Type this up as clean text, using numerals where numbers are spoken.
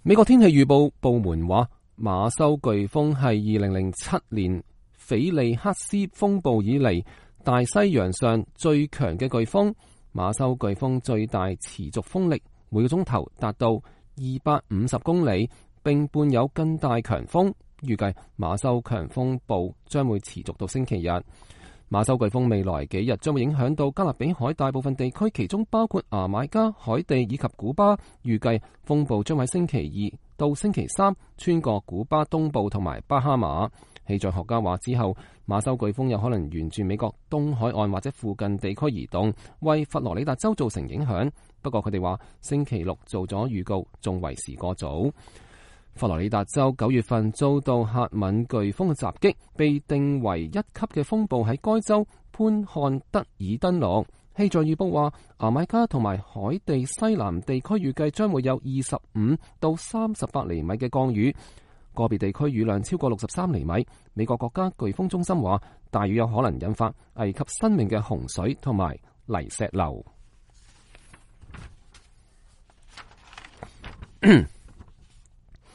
美國天氣預報部門話，馬修颶風係2007年斐利克斯風暴以嚟大西洋上最強嘅颶風。馬修颶風最大持續風力每個鐘頭達到250公里，並伴有更大強風。預計馬修強風暴將會持續到星期日。馬修颶風未來幾日將會影響到加勒比海大部分地區，其中包括牙買加、海地以及古巴。預計風暴將喺星期二到星期三穿過古巴東部同埋巴哈馬。氣象學家話之後，馬修颶風有可能沿住美國東海岸或者附近地區移動，為佛羅里達州造成影響。不過佢哋話星期六做咗預告，仲為時過早。佛羅里達州9月份遭到赫敏颶風嘅襲擊，被定為1級嘅風暴喺該州潘漢德爾登陸。氣象預報話，牙買加同埋海地西南地區預計將會有25到38厘米嘅降雨，個別地區雨量超過63厘米。美國國家颶風中心話，大雨有可能引發危及生命嘅洪水同埋泥石流。